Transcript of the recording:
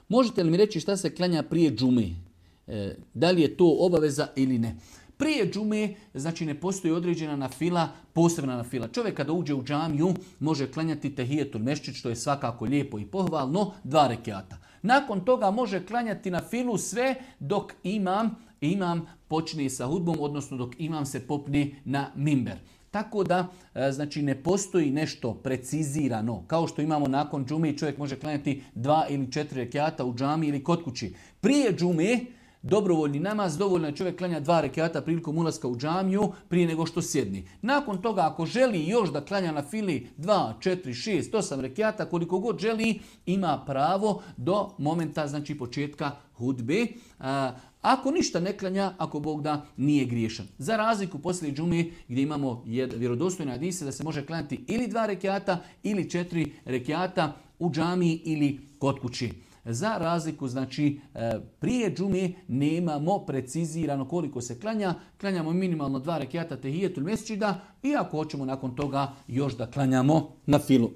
Možete li mi reći šta se klanja prije džume? Da li je to obaveza ili ne? Prije džume, znači ne postoji određena nafila, posebna nafila. Čovjek kada uđe u džamiju može klanjati tehijetul mesdžid, što je svakako lijepo i pohvalno, 2 rekiata. Nakon toga može klanjati nafilu sve dok imam počne sa hudbom, odnosno dok imam se popne na mimber. Tako da, znači, ne postoji nešto precizirano. Kao što imamo nakon džume, čovjek može klanjati 2 ili 4 rekiata u džami ili kod kući. Prije džume, dobrovoljni namaz, dovoljno je čovjek klanja 2 rekiata prilikom ulaska u džamiju prije nego što sjedni. Nakon toga, ako želi još da klanja na fili 2, 4, 6, 8 rekiata, koliko god želi, ima pravo do momenta, znači, početka hudbe. Ako ništa ne klanja, ako Bog da, nije griješan. Za razliku poslije džume gdje imamo vjerodostojne hadise da se može klanjati ili 2 rekiata ili 4 rekiata u džamiji ili kod kući. Za razliku, znači, prije džume nemamo precizirano koliko se klanja. Klanjamo minimalno 2 rekiata tehijetul mesdžida i ako hoćemo nakon toga još da klanjamo na filu.